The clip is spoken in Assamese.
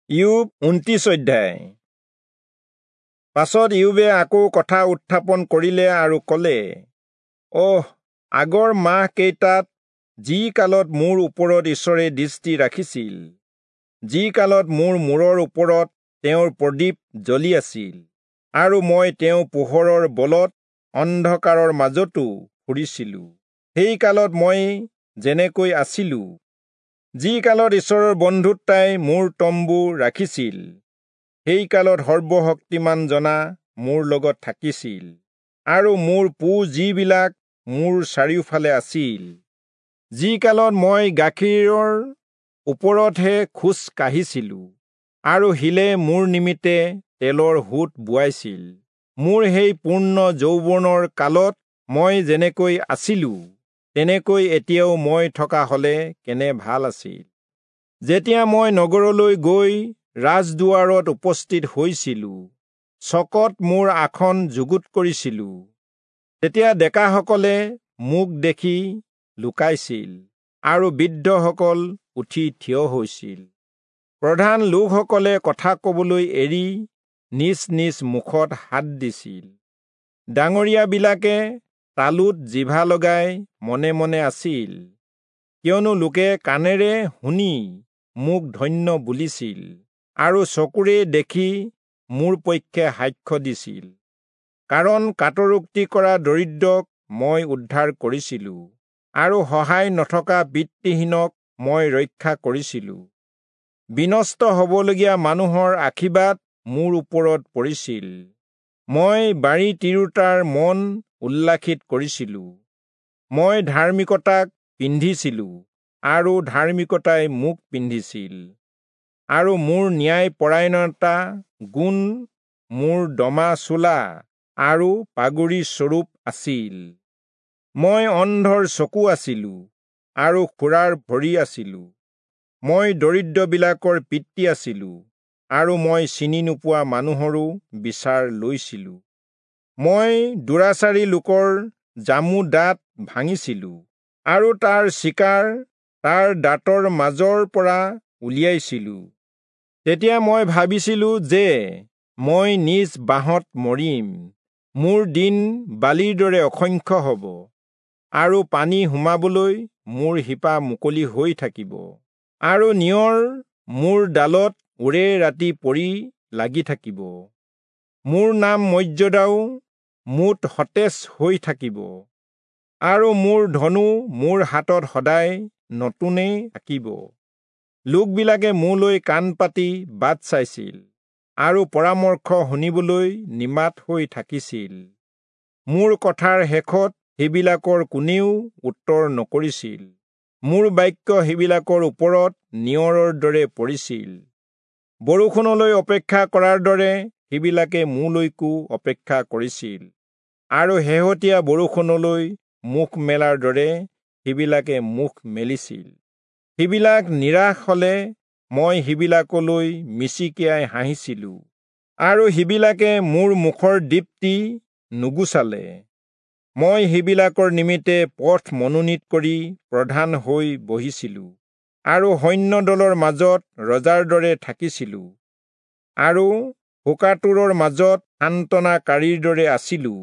ইয়োব 29 অধ্যায়। পাছত ইয়োবে আকৌ কথা উত্থাপন কৰিলে আৰু ক'লে, অহ, আগৰ মাহ কেইটাত যি কালত মোৰ ওপৰত ঈশ্বৰে দৃষ্টি ৰাখিছিল, যি কালত মোৰ মূৰৰ ওপৰত তেওঁৰ প্ৰদীপ জ্বলি আছিল, আৰু মই তেওঁ পোহৰৰ বলত অন্ধকাৰৰ মাজতো ফুৰিছিলো, সেই কালত মই যেনেকৈ আছিলো, যি কালত ঈশ্বৰৰ বন্ধুত্বাই মোৰ তম্বু ৰাখিছিল, সেই কালত সৰ্বশক্তিমান জনা মোৰ লগত থাকিছিল, আৰু মোৰ পু যিবিলাক মোৰ চাৰিওফালে আছিল, যি কালত মই গাখীৰৰ ওপৰতহে খোজ কাঢ়িছিলো, আৰু শিলে মোৰ নিমিত্তে তেলৰ সোঁত বোৱাইছিল, মোৰ সেই পূৰ্ণ যৌৱনৰ কালত মই যেনেকৈ আছিলো, তেনেকৈ এতিয়াও মই থকা হলে কেনে ভাল আছিল। যেতিয়া মই নগৰলৈ গৈ ৰাজদুৱাৰত উপস্থিত হৈছিলো, চকত মোৰ আসন যুগুত কৰিছিলো, তেতিয়া ডেকাসকলে মোক দেখি লুকাইছিল, আৰু বৃদ্ধসকল উঠি থিয় হৈছিল। প্ৰধান লোকসকলে কথা কবলৈ এৰি নিজ নিজ মুখত হাত দিছিল। ডাঙৰীয়াবিলাকে তালুত জিভা লগাই মনে মনে আছিল, কিয়নো লোকে কাণেৰে শুনি মোক ধন্য বুলিছিল, আৰু চকুৰে দেখি মোৰ পক্ষে সাক্ষ্য দিছিল। কাৰণ কাতৰোক্তি কৰা দৰিদ্ৰক মই উদ্ধাৰ কৰিছিলো, আৰু সহায় নথকা পিতৃহীনক মই ৰক্ষা কৰিছিলো। বিনষ্ট হবলগীয়া মানুহৰ আশীৰ্বাদ মোৰ ওপৰত পৰিছিল, মই বাৰী তিৰোতাৰ মন উল্লাসিত কৰিছিলো। মই ধাৰ্মিকতাক পিন্ধিছিলো, আৰু ধাৰ্মিকতাই মোক পিন্ধিছিল, আৰু মোৰ ন্যায়পৰায়ণতা গুণ মোৰ দমা চোলা আৰু পাগুৰি স্বৰূপ আছিল। মই অন্ধৰ চকু আছিলো, আৰু খোৰাৰ ভৰি আছিলো। মই দৰিদ্ৰবিলাকৰ পিতৃ আছিলো, আৰু মই চিনি নোপোৱা মানুহৰো বিচাৰ লৈছিলো। মই দুৰাচাৰী লোকৰ জামু দাঁত ভাঙিছিলো, আৰু তাৰ চিকাৰ তাৰ দাঁতৰ মাজৰ পৰা উলিয়াইছিলো। তেতিয়া মই ভাবিছিলো যে মই নিজ বাঁহত মৰিম, মোৰ দিন বালিৰ দৰে অসংখ্য হ'ব, আৰু পানী সোমাবলৈ মোৰ শিপা মুকলি হৈ থাকিব, আৰু নিয়ৰ মোৰ ডালত ওৰে ৰাতি পৰি লাগি থাকিব। মোৰ নাম মৰ্যাদাও মোত সতেজ হৈ থাকিব, আৰু মোৰ ধনু মোৰ হাতত সদায় নতুনেই থাকিব। লোকবিলাকে মোলৈ কাণ পাতি বাট চাইছিল, আৰু পৰামৰ্শ শুনিবলৈ নিমাত হৈ থাকিছিল। মোৰ কথাৰ শেষত সেইবিলাকৰ কোনেও উত্তৰ নকৰিছিল, মোৰ বাক্য সেইবিলাকৰ ওপৰত নিয়ৰৰ দৰে পৰিছিল। বৰষুণলৈ অপেক্ষা কৰাৰ দৰে সেইবিলাকে মোলৈকো অপেক্ষা কৰিছিল, আৰু শেহতীয়া বৰষুণলৈ মুখ মেলাৰ দৰে সেইবিলাকে মুখ মেলিছিল। সেইবিলাক নিৰাশ হলে মই সেইবিলাকলৈ মিচিকিয়াই হাঁহিছিলো, আৰু সেইবিলাকে মোৰ মুখৰ দীপ্তি নুগুচালে। মই সেইবিলাকৰ নিমিত্তে পথ মনোনীত কৰি প্ৰধান হৈ বহিছিলো, আৰু সৈন্যদলৰ মাজত ৰজাৰ দৰে থাকিছিলো, আৰু শোকাতুৰৰ মাজত সান্তনাকাৰীৰ দৰে আছিলো।